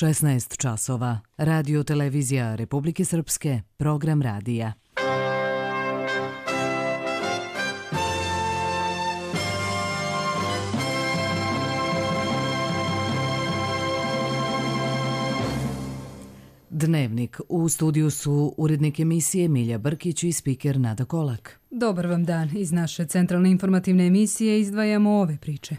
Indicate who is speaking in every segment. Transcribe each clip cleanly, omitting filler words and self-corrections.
Speaker 1: 16 časova. Radio televizija Republike Srpske, program radija. Dnevnik. U studiju su urednik emisije Milja Brkić i spiker Nada Kolak.
Speaker 2: Dobar vam dan. Iz naše centralne informativne emisije izdvajamo ove priče.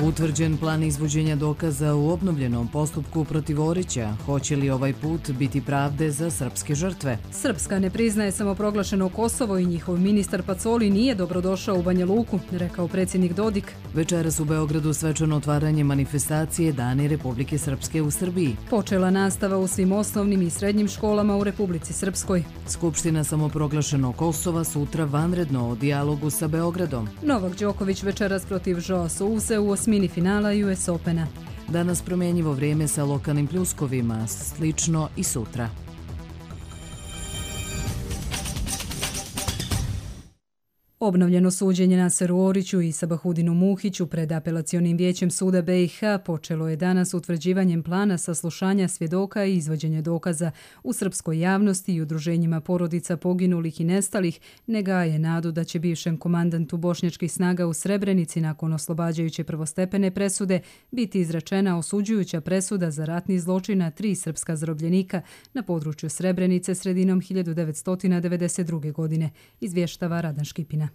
Speaker 1: Utvrđen plan izvođenja dokaza u obnovljenom postupku protiv Orića. Hoće li ovaj put biti pravde za srpske žrtve?
Speaker 2: Srpska ne priznaje samoproglašeno Kosovo i njihov ministar Pacoli nije dobrodošao u Banja Luku, rekao predsjednik Dodik.
Speaker 1: Večeras u Beogradu svečano otvaranje manifestacije Dani Republike Srpske u Srbiji.
Speaker 2: Počela nastava u svim osnovnim i srednjim školama u Republici Srpskoj.
Speaker 1: Skupština samoproglašeno Kosova sutra vanredno o dijalogu sa Beogradom.
Speaker 2: Novak Đoković večeras protiv Joa Souse u osmini finala US Opena.
Speaker 1: Danas promjenjivo vrijeme sa lokalnim pljuskovima, slično i sutra.
Speaker 2: Obnovljeno suđenje Naseru Oriću i Sabahudinu Muhiću pred apelacionim vijećem suda BiH počelo je danas utvrđivanjem plana saslušanja svjedoka i izvođenja dokaza. U srpskoj javnosti i udruženjima porodica poginulih i nestalih ne gaje nadu da će bivšem komandantu bošnjačkih snaga u Srebrenici nakon oslobađajuće prvostepene presude biti izrečena osuđujuća presuda za ratni zločin na 3 srpska zarobljenika na području Srebrenice sredinom 1992. godine, izvještava Radan Škipina.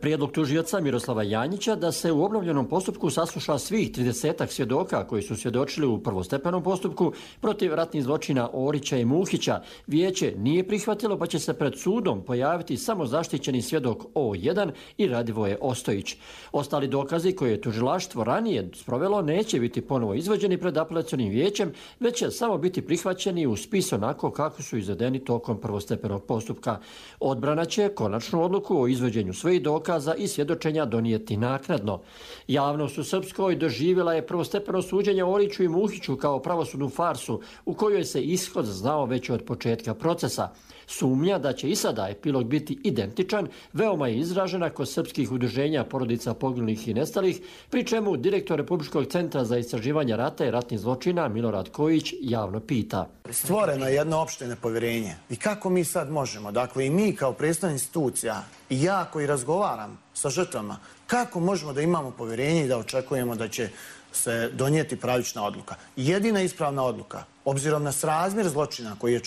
Speaker 3: Prijedlog tužioca Miroslava Janjića da se u obnovljenom postupku sasluša svih 30-ak svjedoka koji su svjedočili u prvostepenom postupku protiv ratnih zločina Orića i Muhića vijeće nije prihvatilo, pa će se pred sudom pojaviti samo zaštićeni svjedok O1 i Radivoje Ostojić. Ostali dokazi koje je tužilaštvo ranije sprovelo neće biti ponovo izvođeni pred apelacionim vijećem, već će samo biti prihvaćeni u spis onako kako su izvedeni tokom prvostepenog postupka. Odbrana će konačnu odluku o izvođenju svojih dokaza i svjedočenja donijeti naknadno. Javnost u Srpskoj doživjela je prvostepeno suđenje Oriću i Muhiću kao pravosudnu farsu u kojoj se ishod znao već od početka procesa. Sumnja da će i sada epilog biti identičan veoma je izražena kod srpskih udruženja porodica poginulih i nestalih, pri čemu direktor Republičkog centra za istraživanje rata i ratnih zločina Milorad Kojić javno pita.
Speaker 4: Stvoreno je jedno opšte nepovjerenje. I kako mi sad možemo, dakle i mi kao predstavnik institucija i ja koji razgovaram sa žrtvama, kako možemo da imamo povjerenje i da očekujemo da će se donijeti pravična odluka? Jedina ispravna odluka, obzirom na srazmjer zločina koji je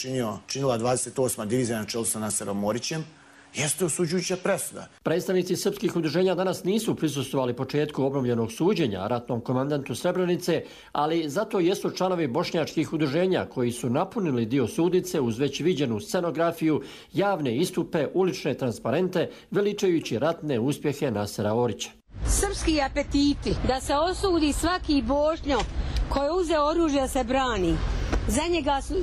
Speaker 4: činila 28. divizija na čelu sa Naserom Orićem, jeste osuđujuća presuda.
Speaker 3: Predstavnici srpskih udruženja danas nisu prisustvovali početku obnovljenog suđenja ratnom komandantu Srebrenice, ali zato jesu članovi bošnjačkih udruženja koji su napunili dio sudnice uz već viđenu scenografiju, javne istupe, ulične transparente, veličajući ratne uspjehe Nasera Orića.
Speaker 5: Srpski apetiti da se osudi svaki Bošnjo koji je uzeo oružje da se brani.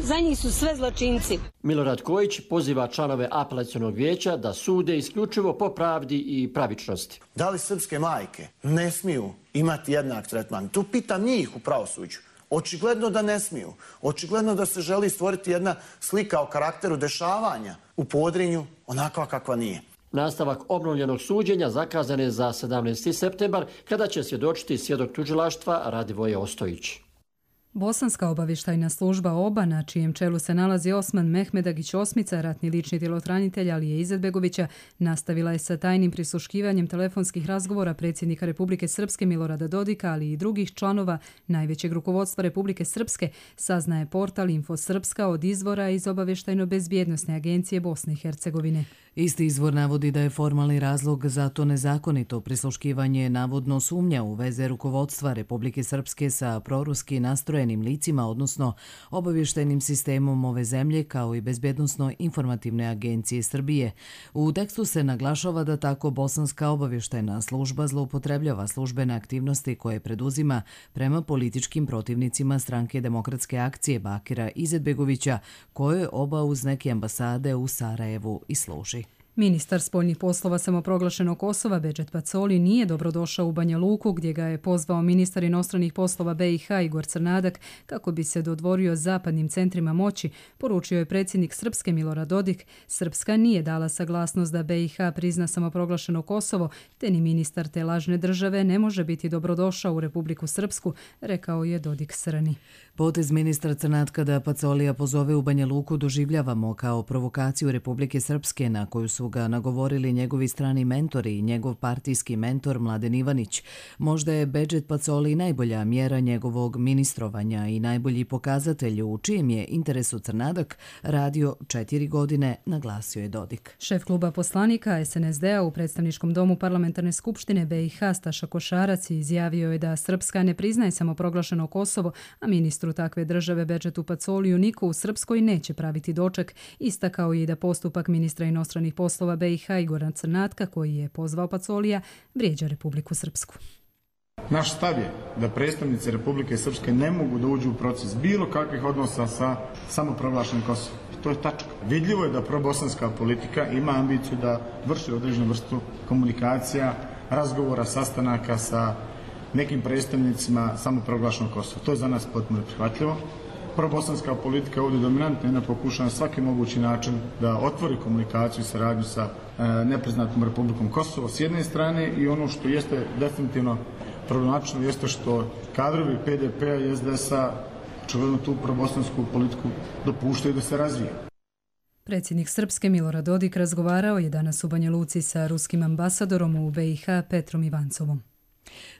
Speaker 5: Za njih su sve zločinci.
Speaker 3: Milorad Kojić poziva članove apelacionog vijeća da sude isključivo po pravdi i pravičnosti.
Speaker 4: Da li srpske majke ne smiju imati jednak tretman? Tu pitam njih u pravosuđu. Očigledno da ne smiju. Očigledno da se želi stvoriti jedna slika o karakteru dešavanja u Podrinju onakva kakva nije.
Speaker 3: Nastavak obnovljenog suđenja zakazan je za 17. septembar, kada će svjedočiti svjedok tužilaštva Radivoje Ostojić.
Speaker 2: Bosanska obavještajna služba OBA, na čijem čelu se nalazi Osman Mehmedagić Osmica, ratni lični djelotranitelj Alije Izetbegovića, nastavila je sa tajnim prisluškivanjem telefonskih razgovora predsjednika Republike Srpske Milorada Dodika, ali i drugih članova najvećeg rukovodstva Republike Srpske, saznaje portal Info Srpska od izvora iz Obavještajno-bezbjednosne agencije Bosne i Hercegovine.
Speaker 1: Isti izvor navodi da je formalni razlog za to nezakonito prisluškivanje navodno sumnja u veze rukovodstva Republike Srpske sa proruski nastrojenim licima, odnosno obavještajnim sistemom ove zemlje, kao i Bezbjednosno-informativne agencije Srbije. U tekstu se naglašava da tako Bosanska obavještajna služba zloupotrebljava službene aktivnosti koje preduzima prema političkim protivnicima stranke Demokratske akcije Bakira Izetbegovića, koje oba uz neke ambasade u Sarajevu i služi.
Speaker 2: Ministar spoljnih poslova samoproglašenog Kosova Bedžet Pacoli nije dobrodošao u Banja Luku, gdje ga je pozvao ministar inostranih poslova BiH Igor Crnadak kako bi se dodvorio zapadnim centrima moći, poručio je predsjednik Srpske Milorad Dodik. Srpska nije dala saglasnost da BiH prizna samoproglašeno Kosovo, te ni ministar te lažne države ne može biti dobrodošao u Republiku Srpsku, rekao je Dodik Srni.
Speaker 1: Potez ministra Crnatka da Pacolija pozove u Banja Luku doživljavamo kao provokaciju Republike Srpske, na koju su ga nagovorili njegovi strani mentori i njegov partijski mentor Mladen Ivanić. Možda je Bedžet Pacoli najbolja mjera njegovog ministrovanja i najbolji pokazatelj u čijem je interesu Crnadak radio 4 godine, naglasio je Dodik.
Speaker 2: Šef kluba poslanika SNSD-a u predstavničkom domu parlamentarne skupštine BiH Staša Košarac izjavio je da Srpska ne priznaje samoproglašeno Kosovo, a ministru takve države Bedžetu Pacoliju niko u Srpskoj neće praviti doček. Istakao je i da postupak ministra inostranih poslova BiH Igora Crnatka, koji je pozvao Pacolija, vrijeđa Republiku Srpsku.
Speaker 6: Naš stav je da predstavnici Republike Srpske ne mogu da uđu u proces bilo kakvih odnosa sa samoproglašenim Kosovom. To je tačka. Vidljivo je da probosanska politika ima ambiciju da vrši određenu vrstu komunikacija, razgovora, sastanaka sa nekim predstavnicima samoproglašenog Kosova. To je za nas potpuno prihvatljivo. Probosanska politika je ovdje dominantna i ona pokušava na svaki mogući način da otvori komunikaciju i saradnju sa nepriznatom Republikom Kosovo s jedne strane, i ono što jeste definitivno problematično jeste što kadrovi PDP-a i SDS-a očigledno tu probosansku politiku dopuštaju da se razvije.
Speaker 2: Predsjednik Srpske Milorad Dodik razgovarao je danas u Banja Luci sa ruskim ambasadorom u BiH Petrom Ivancovom.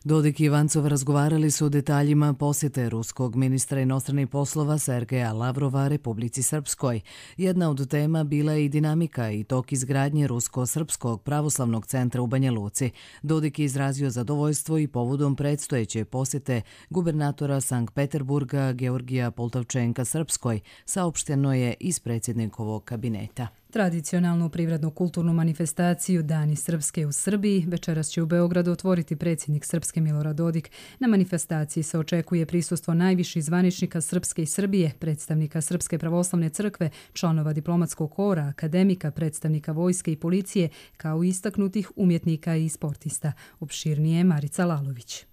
Speaker 1: Dodik i Ivancov razgovarali su o detaljima posjete ruskog ministra inostranih poslova Sergeja Lavrova Republici Srpskoj. Jedna od tema bila je i dinamika i tok izgradnje Rusko-Srpskog pravoslavnog centra u Banja Luci. Dodik je izrazio zadovoljstvo i povodom predstojeće posjete gubernatora Sankt Peterburga Georgija Poltavčenka Srpskoj, saopšteno je iz predsjednikovog kabineta.
Speaker 2: Tradicionalnu privredno-kulturnu manifestaciju Dani Srpske u Srbiji večeras će u Beogradu otvoriti predsjednik Srpske Milorad Dodik. Na manifestaciji se očekuje prisustvo najviših zvaničnika Srpske i Srbije, predstavnika Srpske pravoslavne crkve, članova diplomatskog kora, akademika, predstavnika vojske i policije, kao i istaknutih umjetnika i sportista. Opširnije Marica Lalović.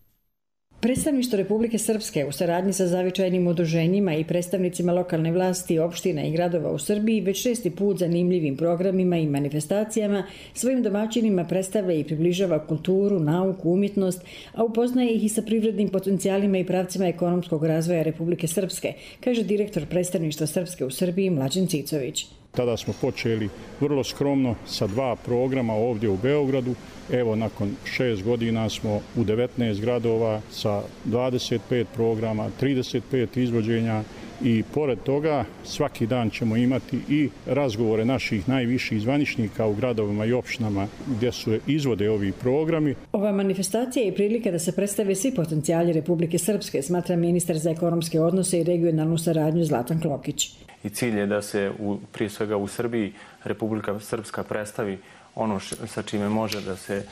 Speaker 7: Predstavništvo Republike Srpske u saradnji sa zavičajnim udruženjima i predstavnicima lokalne vlasti, opština i gradova u Srbiji već 6. put zanimljivim programima i manifestacijama svojim domaćinima predstavlja i približava kulturu, nauku, umjetnost, a upoznaje ih i sa privrednim potencijalima i pravcima ekonomskog razvoja Republike Srpske, kaže direktor predstavništva Srpske u Srbiji Mlađan Cicović.
Speaker 8: Tada smo počeli vrlo skromno sa 2 programa ovdje u Beogradu. Evo, nakon 6 godina smo u 19 gradova sa 25 programa, 35 izvođenja i pored toga svaki dan ćemo imati i razgovore naših najviših zvaničnika u gradovima i opštinama gdje se izvode ovi programi.
Speaker 7: Ova manifestacija je prilika da se predstave svi potencijali Republike Srpske, smatra ministar za ekonomske odnose i regionalnu saradnju Zlatan Klokić.
Speaker 9: I cilj je da se prije svega u Srbiji Republika Srpska predstavi ono sa čime može da se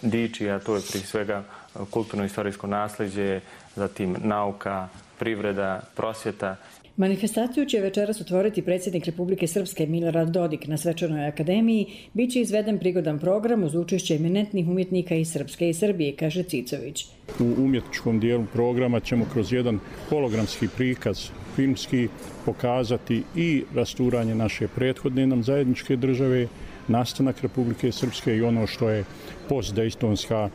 Speaker 9: diči, a to je prije svega kulturno-istorijsko nasljeđe, zatim nauka, privreda, prosvjeta.
Speaker 7: Manifestaciju će večeras otvoriti predsjednik Republike Srpske Milorad Dodik. Na svečanoj akademiji biće izveden prigodan program uz učešće eminentnih umjetnika iz Srpske i Srbije, kaže Cicović.
Speaker 8: U umjetničkom dijelu programa ćemo kroz jedan hologramski prikaz filmski pokazati i rasturanje naše prethodne nam zajedničke države, nastanak Republike Srpske i ono što je postdejtonska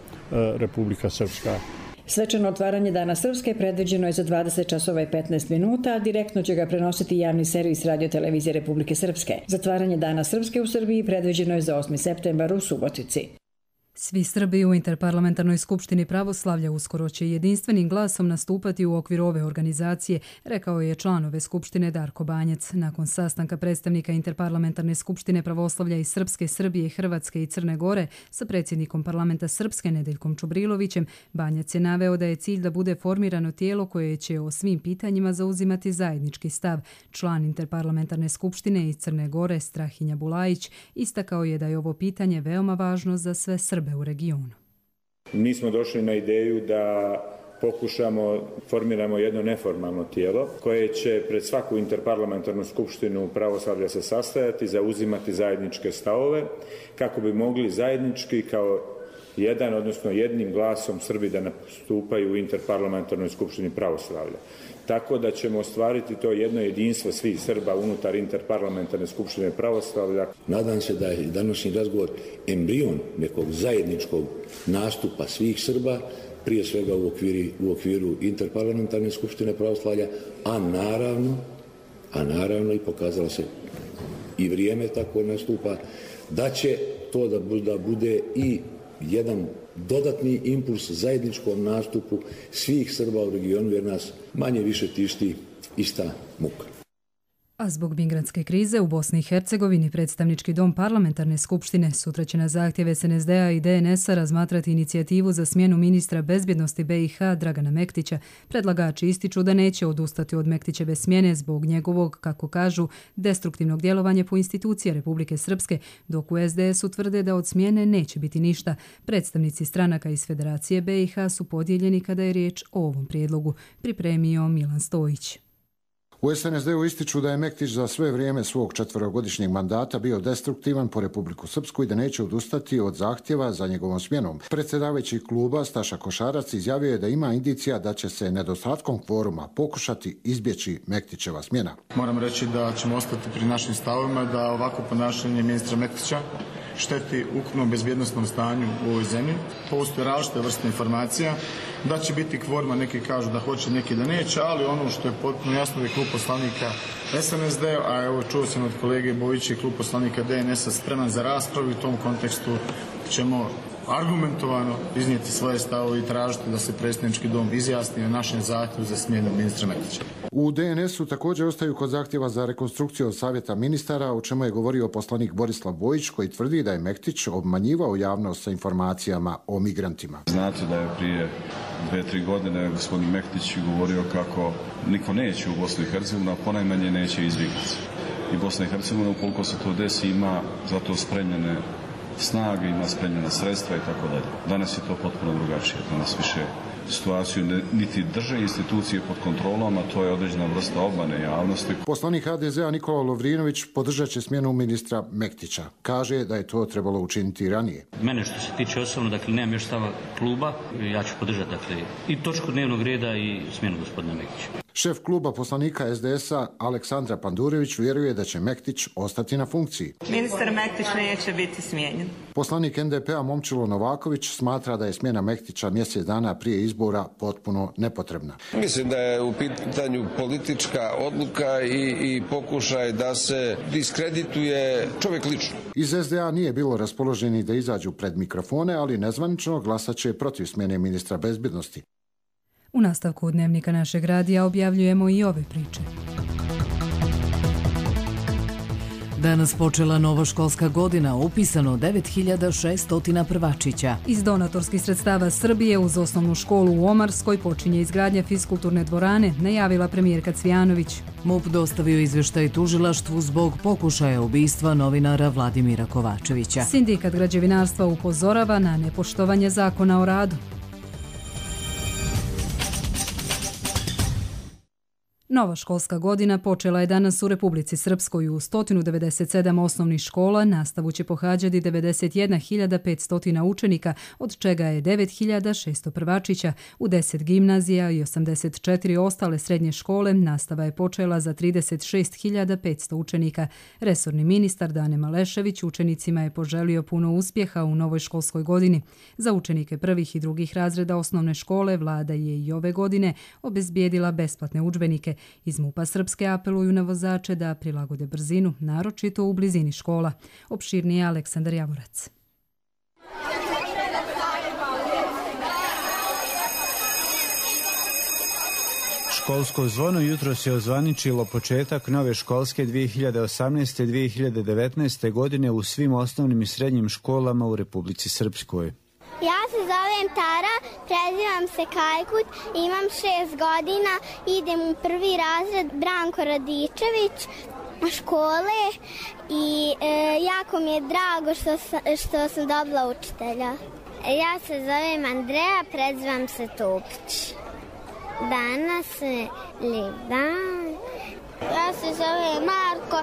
Speaker 8: Republika Srpska.
Speaker 7: Svečano otvaranje Dana Srpske predviđeno je za 20 časova i 15 minuta, a direktno će ga prenositi javni servis Radio-televizije Republike Srpske. Zatvaranje Dana Srpske u Srbiji predviđeno je za 8. septembar u Subotici.
Speaker 2: Svi Srbi u Interparlamentarnoj skupštini pravoslavlja uskoro će jedinstvenim glasom nastupati u okviru ove organizacije, rekao je član ove skupštine Darko Banjac. Nakon sastanka predstavnika Interparlamentarne skupštine pravoslavlja iz Srpske, Srbije, Hrvatske i Crne Gore sa predsjednikom parlamenta Srpske Nedeljkom Čubrilovićem, Banjac je naveo da je cilj da bude formirano tijelo koje će o svim pitanjima zauzimati zajednički stav. Član Interparlamentarne skupštine iz Crne Gore Strahinja Bulajić istakao je da je ovo pitanje veoma važno za sve Srbe u regionu.
Speaker 10: Mi smo došli na ideju da formiramo jedno neformalno tijelo koje će pred svaku interparlamentarnu skupštinu pravoslavlja se sastajati, zauzimati zajedničke stavove kako bi mogli zajednički kao jedan, odnosno jednim glasom Srbi da nastupaju u interparlamentarnoj skupštini pravoslavlja. Tako da ćemo ostvariti to jedno jedinstvo svih Srba unutar interparlamentarne skupštine pravoslavlja.
Speaker 11: Nadam se da je današnji razgovor embrion nekog zajedničkog nastupa svih Srba, prije svega u okviru interparlamentarne skupštine pravoslavlja, a naravno i pokazalo se i vrijeme tako nastupa, da će to da bude i jedan dodatni impuls zajedničkom nastupu svih Srba u regionu, jer nas manje više tišti ista muka.
Speaker 2: A zbog migrantske krize u Bosni i Hercegovini predstavnički dom parlamentarne skupštine sutra će na zahtjev SNSD-a i DNS-a razmatrati inicijativu za smjenu ministra bezbjednosti BiH Dragana Mektića. Predlagači ističu da neće odustati od Mektićeve smjene zbog njegovog, kako kažu, destruktivnog djelovanja po institucije Republike Srpske, dok u SDS-u tvrde da od smjene neće biti ništa. Predstavnici stranaka iz Federacije BiH su podijeljeni kada je riječ o ovom prijedlogu, pripremio Milan Stojić.
Speaker 12: U SNSD-u ističu da je Mektić za sve vrijeme svog 4-godišnjeg mandata bio destruktivan po Republiku Srpsku i da neće odustati od zahtjeva za njegovom smjenom. Predsjedavajući kluba Staša Košarac izjavio je da ima indicija da će se nedostatkom kvoruma pokušati izbjeći Mektićeva smjena.
Speaker 6: Moram reći da ćemo ostati pri našim stavovima da ovako ponašanje ministra Mektića šteti ukupnom bezbjednosnom stanju u ovoj zemlji. Postoje različite vrste informacija da će biti kvoruma, neki kažu da hoće, neki da neće, ali ono što je potpuno jasno da je klub poslanika SNSD, a evo čuo sam od kolege Bojića i klub poslanika DNS-a spreman za raspravu, i u tom kontekstu ćemo argumentovano iznijeti svoje stavove i tražiti da se predstavnički dom izjasni o našem zahtjevu za smjenu ministra Mektića.
Speaker 12: U DNS-u također ostaju kod zahtjeva za rekonstrukciju od savjeta ministara, o čemu je govorio poslanik Borislav Bojić, koji tvrdi da je Mektić obmanjivao javnost sa informacijama o migrantima.
Speaker 13: Znate da je prije 2-3 godine gospodin Mektić govorio kako niko neće u Bosnu i Hercegovinu, a ponajmanje neće izbjeglice. I Bosna i Hercegovina, ukoliko se to desi, ima za to spremljene snage, ima spremljena sredstva i tako dalje. Danas je to potpuno drugačije. Danas više situaciju niti drže institucije pod kontrolom, a to je određena vrsta obmane javnosti.
Speaker 12: Poslanik HDZ-a Nikola Lovrinović podržat će smjenu ministra Mektića. Kaže da je to trebalo učiniti ranije.
Speaker 14: Mene što se tiče osobno, dakle, nemam još stava kluba, ja ću podržati, dakle, i točku dnevnog reda i smjenu gospodina Mektića.
Speaker 12: Šef kluba poslanika SDS-a Aleksandra Pandurević vjeruje da će Mektić ostati na funkciji.
Speaker 15: Ministar Mektić neće biti smijenjen.
Speaker 12: Poslanik NDP-a Momčilo Novaković smatra da je smjena Mektića mjesec dana prije izbora potpuno nepotrebna.
Speaker 16: Mislim da je u pitanju politička odluka i pokušaj da se diskredituje čovjek lično.
Speaker 12: Iz SDA nije bilo raspoloženi da izađu pred mikrofone, ali nezvanično glasat će protiv smjene ministra bezbjednosti.
Speaker 2: U nastavku dnevnika našeg radija objavljujemo i ove priče.
Speaker 1: Danas počela nova školska godina, upisano 9600 prvačića.
Speaker 2: Iz donatorskih sredstava Srbije uz osnovnu školu u Omarskoj počinje izgradnja fiskulturne dvorane, najavila premijerka Cvijanović.
Speaker 1: MUP dostavio izvještaj tužilaštvu zbog pokušaja ubistva novinara Vladimira Kovačevića.
Speaker 2: Sindikat građevinarstva upozorava na nepoštovanje zakona o radu. Nova školska godina počela je danas u Republici Srpskoj. U 197 osnovnih škola nastavu će pohađati 91.500 učenika, od čega je 9.600 prvačića. U 10 gimnazija i 84 ostale srednje škole nastava je počela za 36.500 učenika. Resorni ministar Dane Malešević učenicima je poželio puno uspjeha u novoj školskoj godini. Za učenike prvih i drugih razreda osnovne škole vlada je i ove godine obezbijedila besplatne udžbenike. Iz MUP-a Srpske apeluju na vozače da prilagode brzinu, naročito u blizini škola. Opširnije Aleksandar Javorac.
Speaker 17: Školsko zvono jutros je ozvaničilo početak nove školske 2018-2019. godine u svim osnovnim i srednjim školama u Republici Srpskoj.
Speaker 18: Ja se zovem Tara, prezivam se Kajkut, imam 6 godina, idem u prvi razred Branko Radičević škole i jako mi je drago što sam dobila učitelja. Ja se zovem Andreja, prezivam se Topić. Danas je lijep dan. Ja se zovem Marko,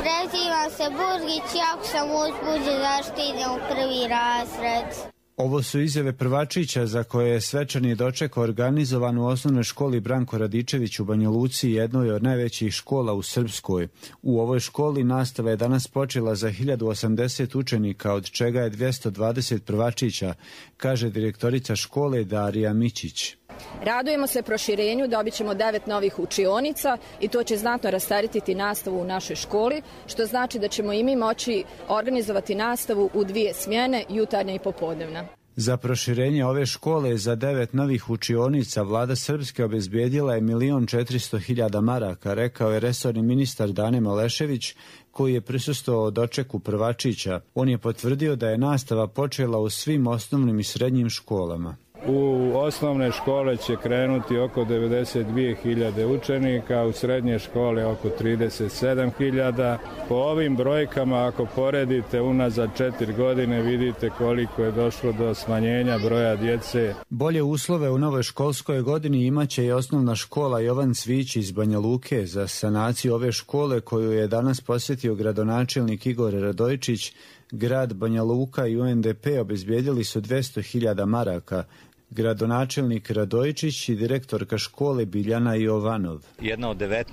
Speaker 18: prezivam se Burgić, jako sam uzbuđen zašto idem u prvi razred.
Speaker 17: Ovo su izjave prvačića za koje je svečani doček organizovan u osnovnoj školi Branko Radičević u Banja Luci, jednoj od najvećih škola u Srpskoj. U ovoj školi nastava je danas počela za 1080 učenika, od čega je 220 prvačića, kaže direktorica škole Darija Mićić.
Speaker 19: Radujemo se proširenju, dobit ćemo 9 novih učionica i to će znatno rasteretiti nastavu u našoj školi, što znači da ćemo i mi moći organizovati nastavu u 2 smjene, jutarnja i popodnevna.
Speaker 17: Za proširenje ove škole za 9 novih učionica vlada Srpske obezbijedila je 1.400.000 maraka, rekao je resorni ministar Dane Malešević, koji je prisustvovao dočeku prvačića. On je potvrdio da je nastava počela u svim osnovnim i srednjim školama.
Speaker 8: U osnovne škole će krenuti oko 92.000 učenika, u srednje škole oko 37.000. Po ovim brojkama, ako poredite unazad 4 godine, vidite koliko je došlo do smanjenja broja djece.
Speaker 17: Bolje uslove u novoj školskoj godini imaće i osnovna škola Jovan Cvić iz Banja Luke. Za sanaciju ove škole, koju je danas posjetio gradonačelnik Igor Radojičić, grad Banja Luka i UNDP obezbijedili su 200.000 maraka. Gradonačelnik Radojičić i direktorka škole Biljana Jovanov.
Speaker 20: Jedna od 19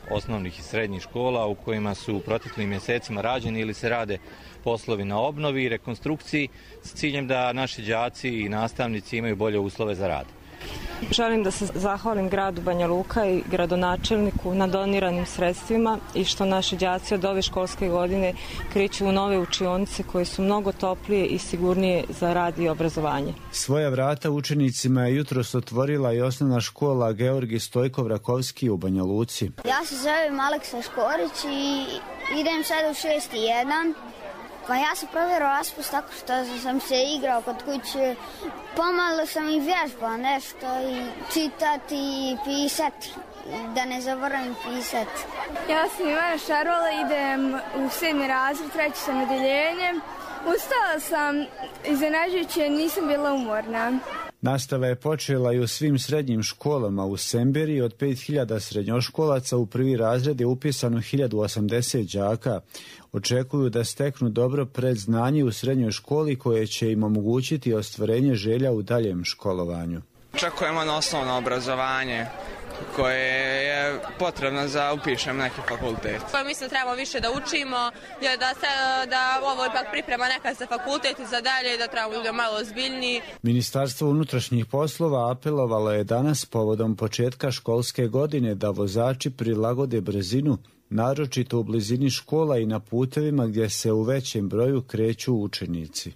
Speaker 20: osnovnih i srednjih škola u kojima su u proteklim mjesecima rađeni ili se rade poslovi na obnovi i rekonstrukciji s ciljem da naši đaci i nastavnici imaju bolje uslove za rad.
Speaker 15: Želim da se zahvalim gradu Banja Luka i gradonačelniku na doniranim sredstvima i što naši đaci od ove školske godine kreću u nove učionice koje su mnogo toplije i sigurnije za rad i obrazovanje.
Speaker 17: Svoja vrata učenicima je jutros otvorila i osnovna škola Georgij Stojkov Rakovski u Banja Luci.
Speaker 18: Ja se zovem Aleksa Škorić i idem sada u 6.1. Pa ja sam provjerao raspust tako što sam se igrao kod kuće. Pomalo sam i vježbao nešto i čitati i pisati, da ne zaboravim pisati.
Speaker 21: Ja sam Ivana Šarola, idem u 7. razred, 3. sam odeljenje. Ustala sam iznenađujuće, nisam bila umorna.
Speaker 17: Nastava je počela i u svim srednjim školama. U Semberiji od 5.000 srednjoškolaca u prvi razred je upisano 1.080 đaka. Očekuju da steknu dobro predznanje u srednjoj školi koje će im omogućiti ostvarenje želja u daljem školovanju.
Speaker 22: Očekujemo na osnovno obrazovanje koje je potrebno za upišem neki fakultet.
Speaker 23: Mislim da trebamo više da učimo, da ovo ipak priprema neka za fakultet i za dalje, da trebamo biti malo ozbiljniji.
Speaker 17: Ministarstvo unutrašnjih poslova apelovalo je danas povodom početka školske godine da vozači prilagode brzinu, naročito u blizini škola i na putevima gdje se u većem broju kreću učenici.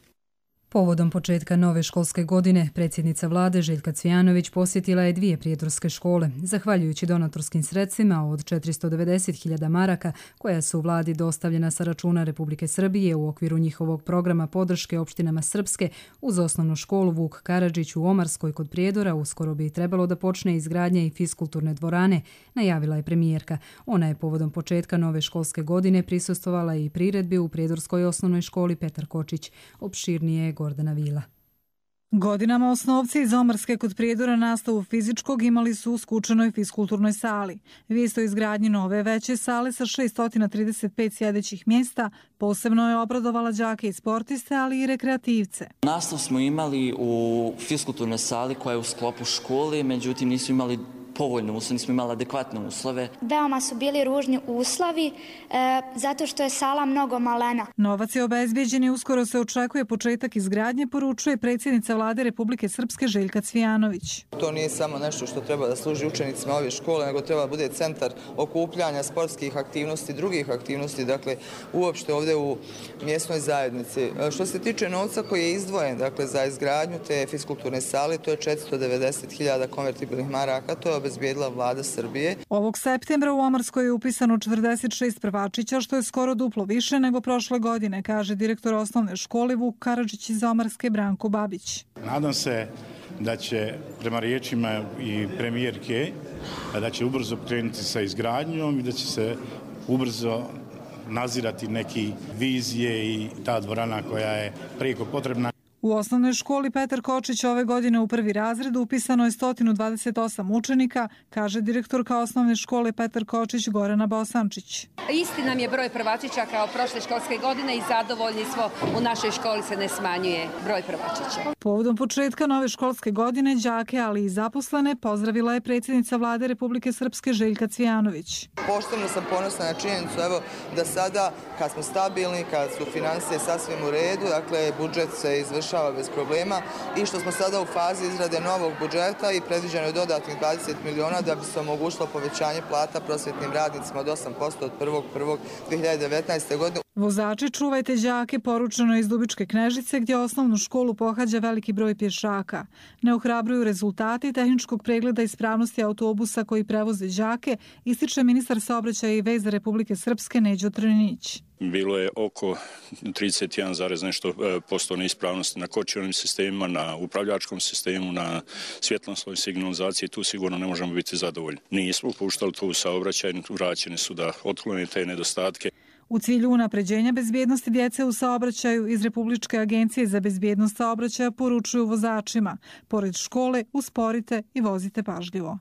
Speaker 2: Povodom početka nove školske godine, predsjednica vlade Željka Cvijanović posjetila je 2 prijedorske škole. Zahvaljujući donatorskim sredstvima od 490.000 maraka, koja su vladi dostavljena sa računa Republike Srbije u okviru njihovog programa podrške opštinama Srpske, uz osnovnu školu Vuk Karadžić u Omarskoj kod Prijedora uskoro bi trebalo da počne izgradnja i fiskulturne dvorane, najavila je premijerka. Ona je povodom početka nove školske godine prisustvovala i priredbi u prijedorskoj osnovnoj školi Petar Kočić. Opširnije je Gordana Vila.
Speaker 24: Godinama osnovci iz Omarske kod Prijedora nastavu fizičkog imali su u skučenoj fiskulturnoj sali. Vijest o izgradnji nove veće sale sa 635 sjedećih mjesta posebno je obradovala đake i sportiste, ali i rekreativce.
Speaker 25: Nastav smo imali u fiskulturnoj sali koja je u sklopu škole, međutim nisu imali povoljne uslove, nismo imali adekvatne uslove.
Speaker 26: Veoma su bili ružni uslovi zato što je sala mnogo malena.
Speaker 24: Novac je obezbijeđen i uskoro se očekuje početak izgradnje, poručuje predsjednica vlade Republike Srpske Željka Cvijanović.
Speaker 27: To nije samo nešto što treba da služi učenicima ove škole, nego treba da bude centar okupljanja sportskih aktivnosti, drugih aktivnosti, dakle uopšte ovdje u mjesnoj zajednici. Što se tiče novca koji je izdvojen, dakle za izgradnju te fiskulturne sale, to je 490.000 konvertibilnih maraka, to je obezbijedila vlada Srbije.
Speaker 24: Ovog septembra u Omarskoj je upisano 46 prvačića, što je skoro duplo više nego prošle godine, kaže direktor osnovne škole Vuk Karadžić iz Omarske Branko Babić.
Speaker 6: Nadam se da će, prema riječima i premijerke, da će ubrzo krenuti sa izgradnjom i da će se ubrzo nazirati neki vizije i ta dvorana koja je prijeko potrebna.
Speaker 24: U osnovnoj školi Petar Kočić ove godine u prvi razred upisano je 128 učenika, kaže direktorka osnovne škole Petar Kočić Gorana Bosančić.
Speaker 3: Isti nam je broj prvačića kao prošle školske godine i zadovoljni smo, u našoj školi se ne smanjuje broj prvačića.
Speaker 24: Povodom početka nove školske godine đake, ali i zaposlene, pozdravila je predsjednica Vlade Republike Srpske Željka Cvijanović.
Speaker 27: Posebno sam ponosna na činjenicu da sada kad smo stabilni, kad su financije sasvim u redu, dakle budžet se izvršava bez problema i što smo sada u fazi izrade novog budžeta i predviđeno je dodatnih 20 miliona da bi se omogućilo povećanje plata prosvjetnim radnicima od 8% od 1.1.2019. godine.
Speaker 24: Vozači, čuvajte đake, poručeno je iz Dubičke Knežice gdje osnovnu školu pohađa veliki broj pješaka. Ne ohrabruju rezultati tehničkog pregleda ispravnosti autobusa koji prevoze đake, ističe ministar saobraćaja i veza Republike Srpske Neđo Trninić.
Speaker 4: Bilo je oko 31,nešto% neispravnosti na kočionim sistemima, na upravljačkom sistemu, na svjetlosnoj signalizaciji. Tu sigurno ne možemo biti zadovoljni. Nismo puštali tu saobraćaj, vraćeni su da otklone te nedostatke.
Speaker 24: U cilju unapređenja bezbjednosti djece u saobraćaju iz Republičke agencije za bezbjednost saobraćaja poručuju vozačima. Pored škole, usporite i vozite pažljivo.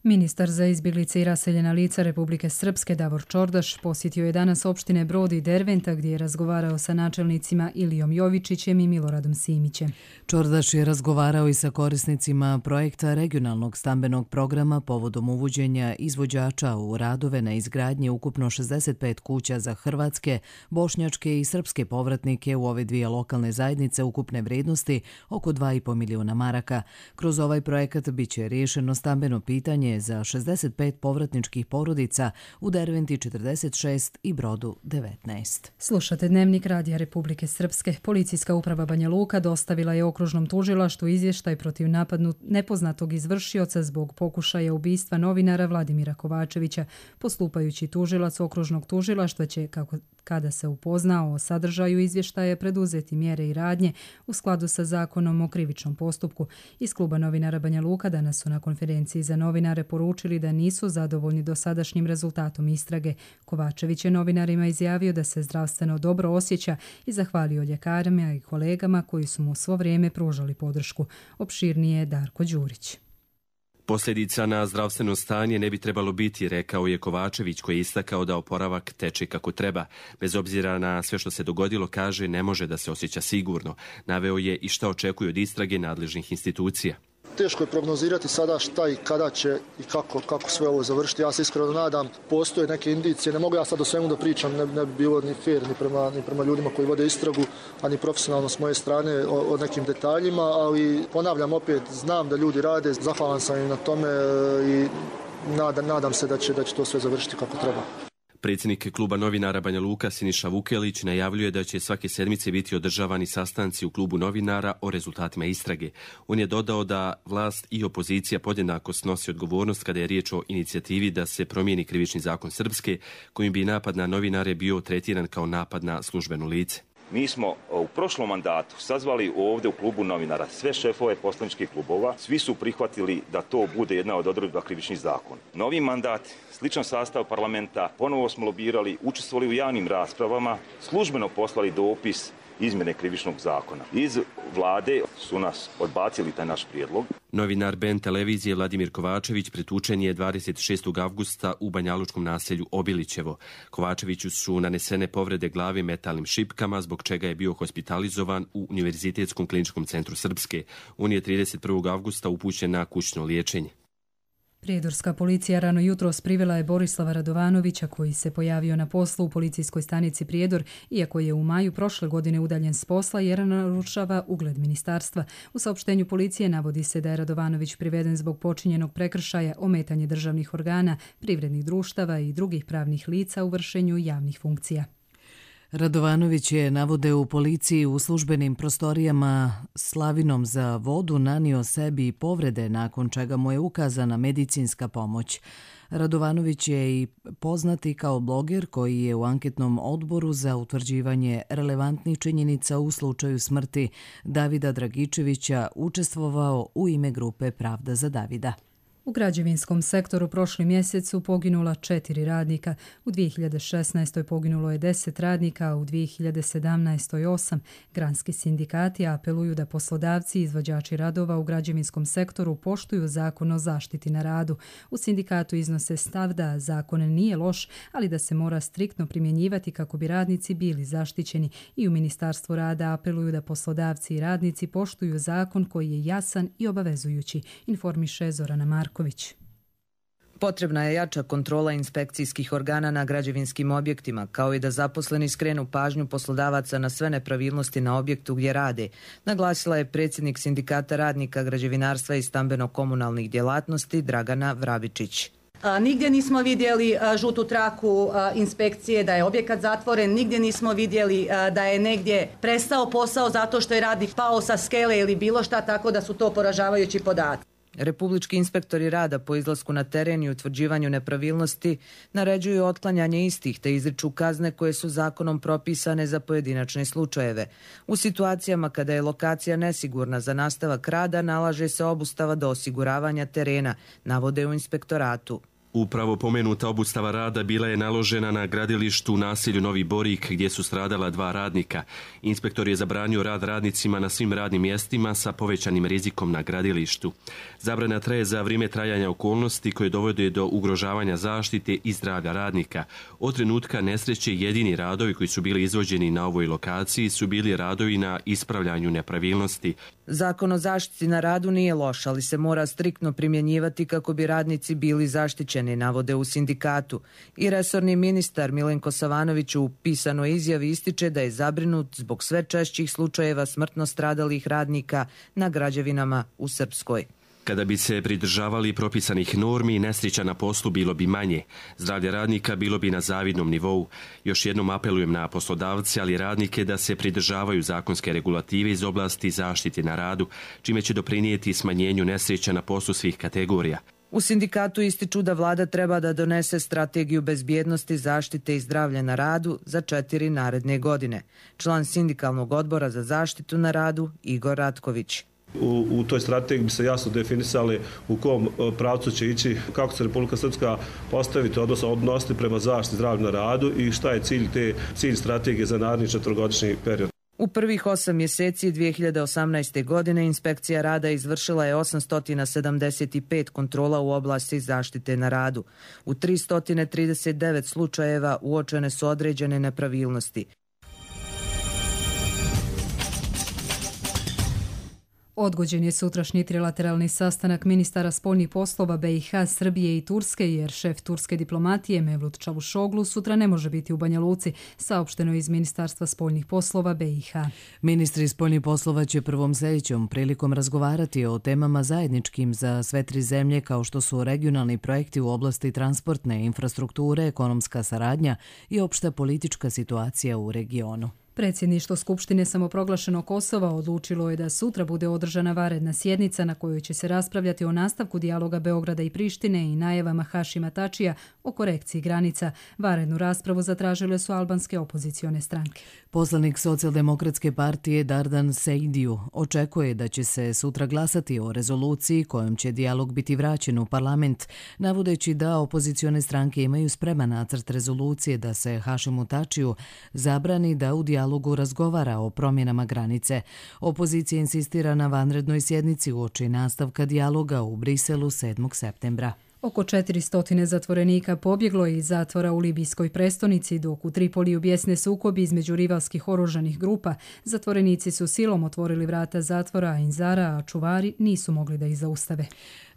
Speaker 2: Ministar za izbjeglice i raseljena lica Republike Srpske Davor Čordaš posjetio je danas opštine Brod i Derventa gdje je razgovarao sa načelnicima Ilijom Jovičićem i Miloradom Simićem.
Speaker 1: Čordaš je razgovarao i sa korisnicima projekta regionalnog stambenog programa povodom uvođenja izvođača u radove na izgradnji ukupno 65 kuća za hrvatske, bošnjačke i srpske povratnike u ove dvije lokalne zajednice ukupne vrijednosti oko 2,5 milijuna maraka. Kroz ovaj projekat biće riješeno stambeno pitanje za 65 povratničkih porodica, u Derventi 46 i Brodu 19.
Speaker 2: Slušate Dnevnik Radija Republike Srpske. Policijska uprava Banja Luka dostavila je okružnom tužilaštvu izvještaj protiv nepoznatog izvršioca zbog pokušaja ubistva novinara Vladimira Kovačevića. Postupajući tužilac okružnog tužilaštva će, kada se upoznao o sadržaju izvještaja, preduzeti mjere i radnje u skladu sa zakonom o krivičnom postupku. Iz kluba novinara Banja Luka danas su na konferenciji za novinare poručili da nisu zadovoljni dosadašnjim rezultatom istrage. Kovačević je novinarima izjavio da se zdravstveno dobro osjeća i zahvalio ljekarima i kolegama koji su mu svo vrijeme pružali podršku. Opširnije je Darko Đurić.
Speaker 5: Posljedica na zdravstveno stanje ne bi trebalo biti, rekao je Kovačević, koji je istakao da oporavak teče kako treba. Bez obzira na sve što se dogodilo, kaže, ne može da se osjeća sigurno. Naveo je i šta očekuje od istrage nadležnih institucija.
Speaker 7: Teško je prognozirati sada šta i kada će i kako sve ovo završiti. Ja se iskreno nadam, postoje neke indicije, ne mogu ja sad o svemu da pričam, ne bi bilo ni fair ni prema ljudima koji vode istragu, a ni profesionalno s moje strane o nekim detaljima, ali ponavljam opet, znam da ljudi rade, zahvalan sam im na tome i nadam se da će to sve završiti kako treba.
Speaker 5: Predsjednik kluba novinara Banja Luka Siniša Vukelić najavljuje da će svake sedmice biti održavani sastanci u klubu novinara o rezultatima istrage. On je dodao da vlast i opozicija podjednako snosi odgovornost kada je riječ o inicijativi da se promijeni krivični zakon Srpske, kojim bi napad na novinare bio tretiran kao napad na službeno lice.
Speaker 9: Mi smo u prošlom mandatu sazvali ovdje u klubu novinara sve šefove poslaničkih klubova. Svi su prihvatili da to bude jedna od odredba krivični zakon. Novi mandat, sličan sastav parlamenta, ponovo smo lobirali, učestvovali u javnim raspravama, službeno poslali dopis izmjene krivičnog zakona. Iz vlade su nas odbacili taj naš prijedlog.
Speaker 5: Novinar Ben televizije Vladimir Kovačević pretučen je 26. avgusta u banjalučkom naselju Obilićevo. Kovačeviću su nanesene povrede glave metalnim šipkama, zbog čega je bio hospitalizovan u Univerzitetskom kliničkom centru Srpske. On je 31. avgusta upućen na kućno liječenje.
Speaker 2: Prijedorska policija rano jutros privela je Borislava Radovanovića, koji se pojavio na poslu u policijskoj stanici Prijedor, iako je u maju prošle godine udaljen s posla jer narušava ugled ministarstva. U saopštenju policije navodi se da je Radovanović priveden zbog počinjenog prekršaja ometanje državnih organa, privrednih društava i drugih pravnih lica u vršenju javnih funkcija.
Speaker 1: Radovanović je, navode u policiji, u službenim prostorijama slavinom za vodu nanio sebi povrede, nakon čega mu je ukazana medicinska pomoć. Radovanović je i poznati kao bloger koji je u anketnom odboru za utvrđivanje relevantnih činjenica u slučaju smrti Davida Dragičevića učestvovao u ime grupe Pravda za Davida.
Speaker 2: U građevinskom sektoru prošli mjesec su poginula 4 radnika, u 2016. poginulo je 10 radnika, a u 2017. 8. Granski sindikati apeluju da poslodavci i izvođači radova u građevinskom sektoru poštuju zakon o zaštiti na radu. U sindikatu iznose stav da zakon nije loš, ali da se mora striktno primjenjivati kako bi radnici bili zaštićeni, i u Ministarstvu rada apeluju da poslodavci i radnici poštuju zakon koji je jasan i obavezujući, informiše Zorana Marković.
Speaker 10: Potrebna je jača kontrola inspekcijskih organa na građevinskim objektima, kao i da zaposleni skrenu pažnju poslodavaca na sve nepravilnosti na objektu gdje rade, naglasila je predsjednik Sindikata radnika građevinarstva i stambeno-komunalnih djelatnosti Dragana Vrabičić.
Speaker 11: Nigdje nismo vidjeli žutu traku inspekcije da je objekat zatvoren, nigdje nismo vidjeli da je negdje prestao posao zato što je radnik pao sa skele ili bilo šta, tako da su to poražavajući podaci.
Speaker 10: Republički inspektori rada po izlasku na teren i utvrđivanju nepravilnosti naređuju otklanjanje istih te izriču kazne koje su zakonom propisane za pojedinačne slučajeve. U situacijama kada je lokacija nesigurna za nastavak rada nalaže se obustava do osiguravanja terena, navode u inspektoratu.
Speaker 5: Upravo pomenuta obustava rada bila je naložena na gradilištu u naselju Novi Borik gdje su stradala 2 radnika. Inspektor je zabranio rad radnicima na svim radnim mjestima sa povećanim rizikom na gradilištu. Zabrana traje za vrijeme trajanja okolnosti koje dovode do ugrožavanja zaštite i zdravlja radnika. Od trenutka nesreće jedini radovi koji su bili izvođeni na ovoj lokaciji su bili radovi na ispravljanju nepravilnosti.
Speaker 10: Zakon o zaštiti na radu nije loš, ali se mora striktno primjenjivati kako bi radnici bili zaštićeni, navode u sindikatu. I resorni ministar Milenko Savanović u pisanoj izjavi ističe da je zabrinut zbog sve češćih slučajeva smrtno stradalih radnika na građevinama u Srpskoj.
Speaker 5: Kada bi se pridržavali propisanih normi, nesreća na poslu bilo bi manje. Zdravlje radnika bilo bi na zavidnom nivou. Još jednom apelujem na poslodavce, ali i radnike da se pridržavaju zakonske regulative iz oblasti zaštite na radu, čime će doprinijeti smanjenju nesreća na poslu svih kategorija.
Speaker 10: U sindikatu ističu da vlada treba da donese strategiju bezbjednosti, zaštite i zdravlja na radu za 4 naredne godine. Član sindikalnog odbora za zaštitu na radu Igor Ratković.
Speaker 12: U toj strategiji bi se jasno definisali u kom pravcu će ići, kako se Republika Srpska postaviti, odnosno odnositi prema zaštiti zdravlja na radu i šta je cilj strategije za naredni 4-godišnji period.
Speaker 10: U prvih 8 mjeseci 2018. godine inspekcija rada izvršila je 875 kontrola u oblasti zaštite na radu. U 339 slučajeva uočene su određene nepravilnosti.
Speaker 2: Odgođen je sutrašnji trilateralni sastanak ministara spoljnih poslova BiH, Srbije i Turske, jer šef turske diplomatije Mevlut Čavuşoglu sutra ne može biti u Banja Luci, saopšteno iz Ministarstva spoljnih poslova BiH.
Speaker 1: Ministri spoljnih poslova će prvom sljedećom prilikom razgovarati o temama zajedničkim za sve 3 zemlje, kao što su regionalni projekti u oblasti transportne infrastrukture, ekonomska saradnja i opšta politička situacija u regionu.
Speaker 2: Predsjedništvo Skupštine samoproglašenog Kosova odlučilo je da sutra bude održana vanredna sjednica na kojoj će se raspravljati o nastavku dijaloga Beograda i Prištine i najavama Hašima Tačija o korekciji granica. Vanrednu raspravu zatražile su albanske opozicione stranke.
Speaker 1: Poslanik Socijaldemokratske partije Dardan Sejdiju očekuje da će se sutra glasati o rezoluciji kojom će dijalog biti vraćen u parlament, navodeći da opozicione stranke imaju spreman nacrt rezolucije da se Hašimu Tačiju zabrani da u dijalogu razgovara o promjenama granice. Opozicija insistira na vanrednoj sjednici uoči nastavka dijaloga u Briselu 7. septembra.
Speaker 2: Oko 400 zatvorenika pobjeglo je iz zatvora u libijskoj prestonici, dok u Tripoliju bijesne sukobi između rivalskih oružanih grupa. Zatvorenici su silom otvorili vrata zatvora Ainzara, a čuvari nisu mogli da ih zaustave.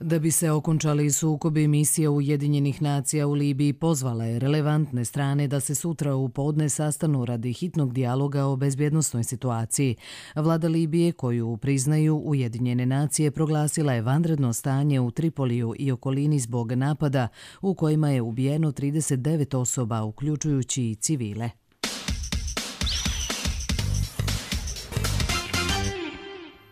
Speaker 1: Da bi se okončali sukobi, misija Ujedinjenih nacija u Libiji pozvala je relevantne strane da se sutra u podne sastanu radi hitnog dijaloga o bezbjednosnoj situaciji. Vlada Libije, koju priznaju Ujedinjene nacije, proglasila je vanredno stanje u Tripoliju i okolini zbog napada u kojima je ubijeno 39 osoba, uključujući i civile.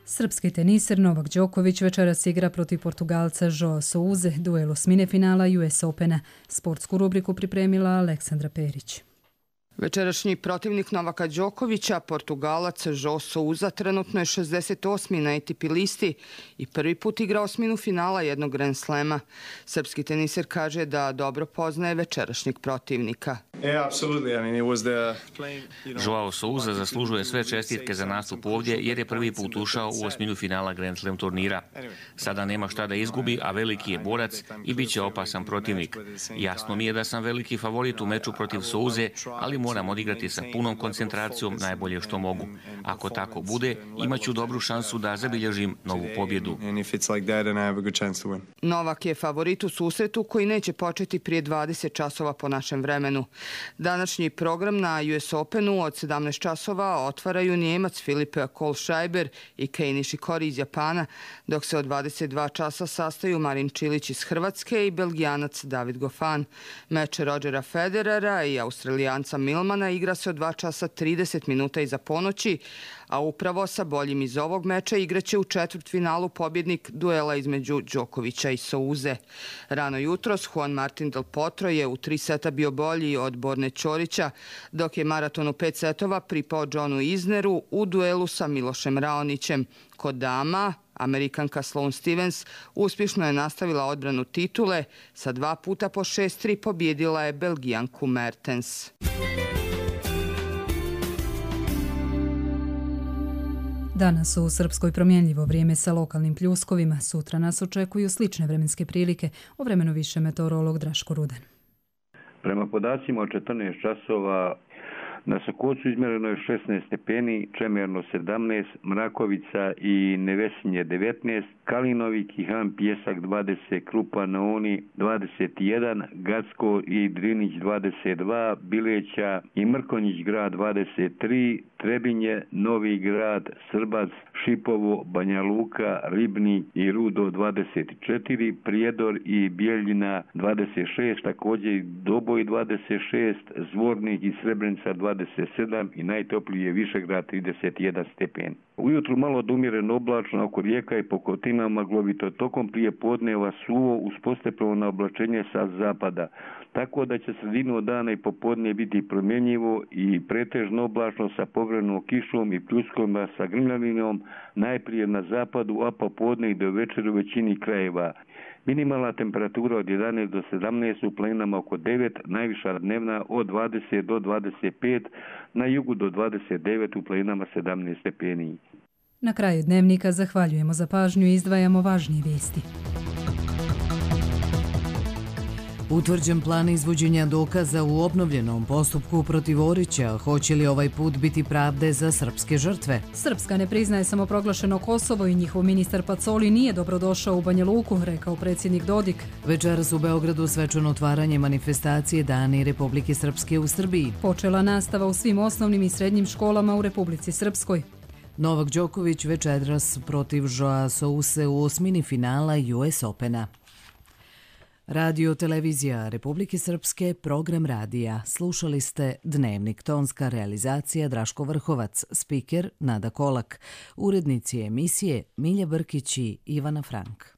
Speaker 2: Srpski teniser Novak Đoković večeras igra protiv Portugalca Joao Souze, duel osmine finala US Opena. Sportsku rubriku pripremila Aleksandra Perić.
Speaker 8: Večerašnji protivnik Novaka Đokovića, Portugalac João Sousa, trenutno je 68. na ATP listi i prvi put igra osminu finala jednog Grand Slema. Srpski teniser kaže da dobro poznaje večerašnjeg protivnika.
Speaker 13: João Sousa zaslužuje sve čestitke za nastup ovdje jer je prvi put ušao u osminu finala Grand Slam turnira. Sada nema šta da izgubi, a veliki je borac i bit će opasan protivnik. Jasno mi je da sam veliki favorit u meču protiv Souze, ali moram odigrati sa punom koncentracijom najbolje što mogu. Ako tako bude, imat ću dobru šansu da zabilježim novu pobjedu.
Speaker 8: Novak je favorit u susretu koji neće početi prije 20 časova po našem vremenu. Današnji program na US Openu od 17 časova otvaraju Njemac Filipe Kohlschreiber i Kei Nishikori iz Japana, dok se od 22 časa sastaju Marin Čilić iz Hrvatske i Belgijanac David Goffin. Meč Rodgera Federera i Australijanca Milmana igra se od 2 časa 30 minuta iza ponoći, a upravo sa boljim iz ovog meča igraće u četvrtfinalu pobjednik duela između Đokovića i Souze. Rano jutros Juan Martín del Potro je u 3 seta bio bolji od Borne Ćorića, dok je maraton u 5 setova pripao Johnu Isneru u duelu sa Milošem Raonićem. Kod dama, Amerikanka Sloane Stevens uspješno je nastavila odbranu titule, sa 2 puta po 6-3 pobjedila je Belgijanku Mertens.
Speaker 2: Danas u Srpskoj promjenljivo vrijeme sa lokalnim pljuskovima. Sutra nas očekuju slične vremenske prilike. O vremenu više meteorolog Draško Ruden.
Speaker 14: Prema podacima od 14 časova na Sokocu izmjereno je 16 stepeni, Čemerno 17, Mrakovica i Nevesinje 19, Kalinovi, Kihan, Pjesak 20, Krupa na Oni 21, Gacko i Drinić 22, Bileća i Mrkonjić grad 23, Trebinje, Novi grad, Srbac, Šipovo, Banja Luka, Ribnik i Rudo 24, Prijedor i Bijeljina 26, također i Doboj 26, Zvornik i Srebrenica 27 i najtopliji je Višegrad 31 stepen. Ujutru malo odumjereno oblačno oko rijeka i pokotina maglovito, tokom prije podneva suvo uz postepeno oblačenje sa zapada. Tako da će sredinu dana i popodne biti promjenjivo i pretežno oblačno sa povremenom kišom i pljuskovima sa grmljavinom, najprije na zapadu, a popodne i do večera u većini krajeva. Minimalna temperatura od 11 do 17, u planinama oko 9, najviša dnevna od 20 do 25, na jugu do 29, u planinama 17 stepeni.
Speaker 2: Na kraju dnevnika zahvaljujemo za pažnju i izdvajamo važnije vijesti.
Speaker 1: Utvrđen plan izvođenja dokaza u obnovljenom postupku protiv Orića. Hoće li ovaj put biti pravde za srpske žrtve?
Speaker 2: Srpska ne priznaje samoproglašeno Kosovo i njihov ministar Pacoli nije dobrodošao u Banja Luku, rekao predsjednik Dodik.
Speaker 1: Večeras u Beogradu svečano otvaranje manifestacije Dani Republike Srpske u Srbiji.
Speaker 2: Počela nastava u svim osnovnim i srednjim školama u Republici Srpskoj.
Speaker 1: Novak Đoković večeras protiv Joao Souse u osmini finala US Opena. Radio televizija Republike Srpske, program radija. Slušali ste Dnevnik, tonska realizacija Draško Vrhovac, spiker Nada Kolak, urednici emisije Milja Brkić i Ivana Frank.